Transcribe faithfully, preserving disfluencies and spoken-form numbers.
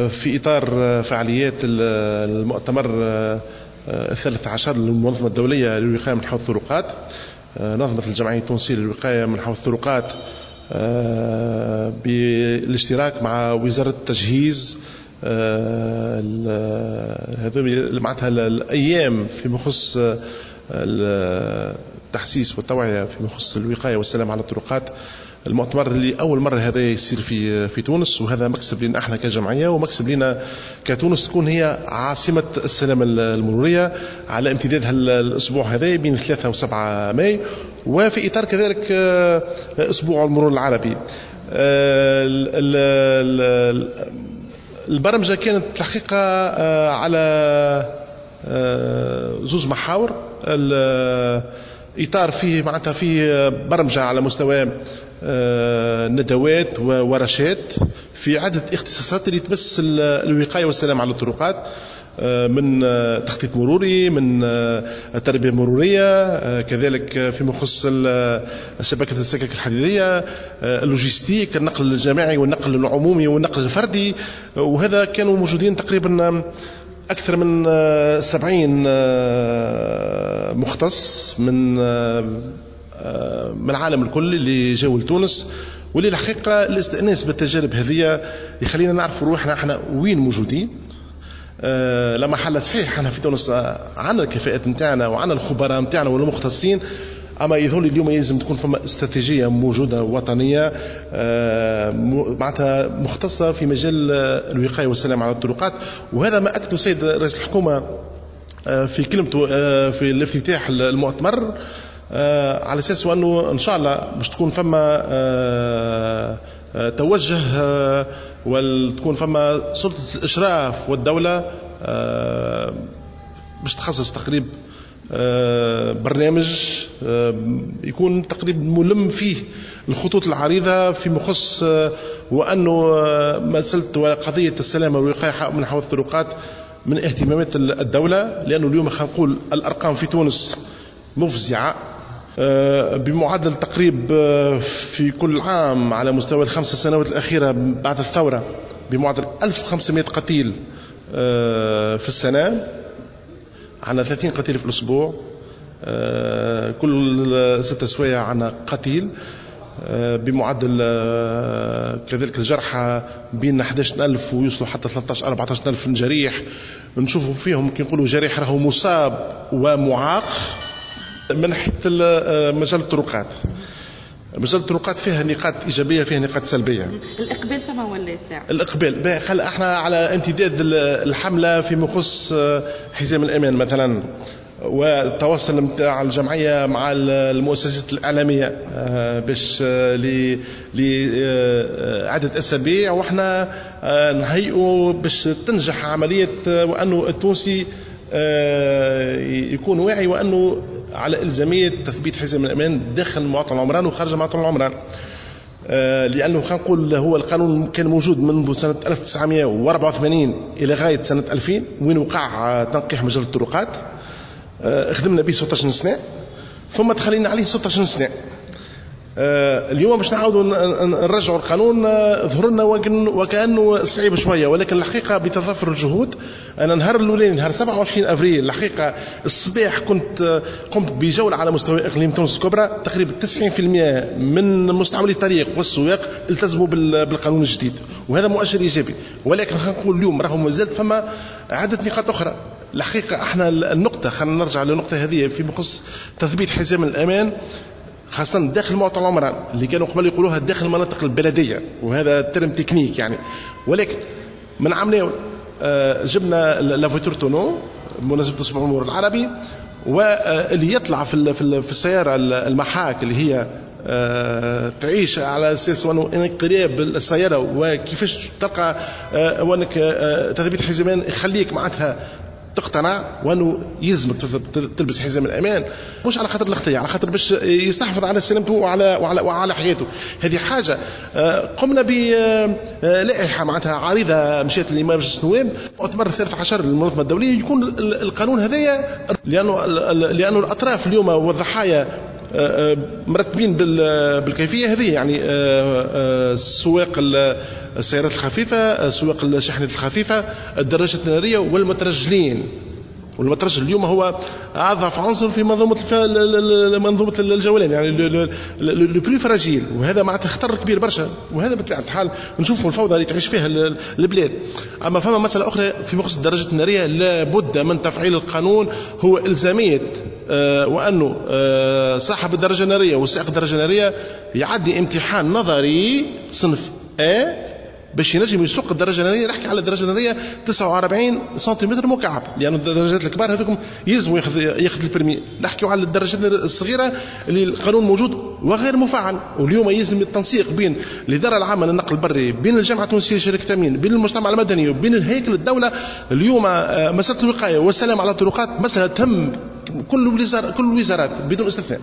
في إطار فعاليات المؤتمر الثالث عشر للمنظمة الدولية للوقاية من حوادث الطرقات، نظمت الجمعية التونسية للوقاية من حوادث الطرقات بالاشتراك مع وزارة التجهيز هذو معناتها الأيام فيما يخص التحسيس والتوعية فيما يخص الوقاية والسلامة على الطرقات. المؤتمر اللي أول مرة هذا يصير في في تونس، وهذا مكسب لنا احنا كجمعية ومكسب لنا كتونس تكون هي عاصمة السلامة المرورية على امتداد الأسبوع هذا بين ثلاثة وسبعة ماي، وفي إطار كذلك أسبوع المرور العربي. البرمجة كانت الحقيقة على زوز محاور، الإطار فيه معناتها فيه برمجة على مستوى ندوات وورشات في عدة اختصاصات اللي تمس الوقاية والسلامة على الطرقات، من تخطيط مروري، من التربية المرورية، كذلك فيما يخص شبكة السكك الحديدية، اللوجستيك، النقل الجماعي والنقل العمومي والنقل الفردي. وهذا كانوا موجودين تقريبا أكثر من سبعين مختص من من العالم الكل اللي جاوا لتونس، واللي الحقيقة الاستئناس بالتجارب هذه يخلينا نعرفوا روحنا احنا وين موجودين. أه لما حل صحيح احنا في تونس عندنا الكفاءات نتاعنا وعندنا الخبراء نتاعنا والمختصين، اما يظهر لي اليوم يلزم تكون فما استراتيجية موجودة وطنية أه معناتها مختصة في مجال الوقاية والسلامة على الطرقات. وهذا ما اكده السيد رئيس الحكومة في كلمته في الافتتاح المؤتمر، على اساس انه ان شاء الله باش تكون فما توجه وتكون فما سلطة الاشراف والدولة باش تخصص تقريب برنامج يكون تقريبا ملم فيه الخطوط العريضة في مخص وانه مسالة قضية السلامة والوقاية من حوادث الطرقات من اهتمامات الدولة، لانه اليوم خلينا نقول الارقام في تونس مفزعه بمعدل تقريب في كل عام على مستوى الخمس سنوات الأخيرة بعد الثورة بمعدل ألف وخمسمائة قتيل في السنة، عندنا ثلاثين قتيل في الأسبوع، كل ستة سوايع عندنا قتيل، بمعدل كذلك الجرحى بين أحد عشر ألف ويوصلوا حتى ثلاثة عشر أربعة عشر ألف جريح، نشوفوا فيهم كي نقولوا جريح راهو مصاب ومعاق. من ناحية مجال الطرقات، مجال الطرقات فيها نقاط إيجابية فيها نقاط سلبية. الإقبال فما ولا ساعة؟ الإقبال خل احنا على امتداد الحملة فيما يخص حزام الأمان مثلا، والتواصل نتاع الجمعية مع المؤسسات الإعلامية باش لعدة أسابيع، وإحنا نهيئوا باش تنجح عملية وأنه التونسي يكون واعي وأنه على إلزامية تثبيت حزام الأمان داخل مواطن العمران وخارج مواطن العمران، لأنه خلينا نقول هو القانون كان موجود منذ سنة ألف وتسعمائة وأربعة وثمانين إلى غاية سنة ألفين وين وقع تنقيح مجال الطرقات، خدمنا به ستة عشر سنة ثم تخلينا عليه ستة عشر سنة. اليوم باش نعاودوا نرجعوا القانون ظهر لنا وكانه صعيب شوية، ولكن الحقيقة بتضافر الجهود. انا نهار الاولاني نهار سبعة وعشرين افريل الحقيقة الصباح كنت قمت بجولة على مستوى اقليم تونس الكبرى، تقريبا تسعين بالمئة من مستعملي الطريق والسواق التزموا بالقانون الجديد، وهذا مؤشر ايجابي. ولكن خلينا نقول اليوم راهو مازالت فما عده نقاط اخرى. الحقيقة احنا النقطة خلينا نرجع للنقطة هذه فيما يخص تثبيت حزام الامان خاصة داخل مواطن العمران اللي كانوا قبل يقولوها داخل المناطق البلدية، وهذا terme technique يعني. ولكن من عام جبنا la voiture tonneau بمناسبة أسبوع المرور العربي، واللي يطلع في في السيارة المحاك اللي هي تعيش على اساس انه انقلاب السيارة وكيفاش تلقى وانك تثبيت حزام يخليك معناتها تقتنع وانه يلزمك تلبس حزام الامان، مش على خاطر الاختيار، على خاطر باش يستحفظ على سلامته وعلى وعلى وعلى حياته. هذه حاجة قمنا بلائحه معناتها عريضة مشات لمجلس النواب مؤتمر الثالث عشر للمنظمة الدولية يكون القانون هذايا، لانه لانه الاطراف اليوم والضحايا مرتبين بالكيفية هذه، يعني سواق السيارات الخفيفة، سواق الشاحنات الخفيفة، الدراجات النارية والمترجلين. والمترجل اليوم هو اضعف عنصر في منظومة منظومة الجولان، يعني le plus fragile، وهذا معناتها خطر كبير برشا، وهذا بطبيعة الحال نشوفوا الفوضى اللي تعيش فيها البلاد. اما فما مسالة اخرى في بخصوص الدراجات النارية، لابد من تفعيل القانون، هو الزامية آه وانه آه صاحب الدراجة النارية وسائق الدراجة النارية يعدي امتحان نظري صنف A باش ينجم يسوق الدراجة النارية. نحكي على الدراجة النارية تسعة وأربعين سنتيمتر مكعب، لان الدراجات الكبار هذوكم يلزموا ياخذ ياخذ ال permis. نحكيو على الدراجات الصغيرة اللي القانون موجود وغير مفعل، واليوم يلزم التنسيق بين الادارة العامة للنقل البري، بين الجامعة التونسية لشركة التامين، بين المجتمع المدني وبين الهيكل الدولة. اليوم مسالة الوقاية والسلام على الطرقات مسالة تهم كل الوزارات، كل الوزارات بدون استثناء.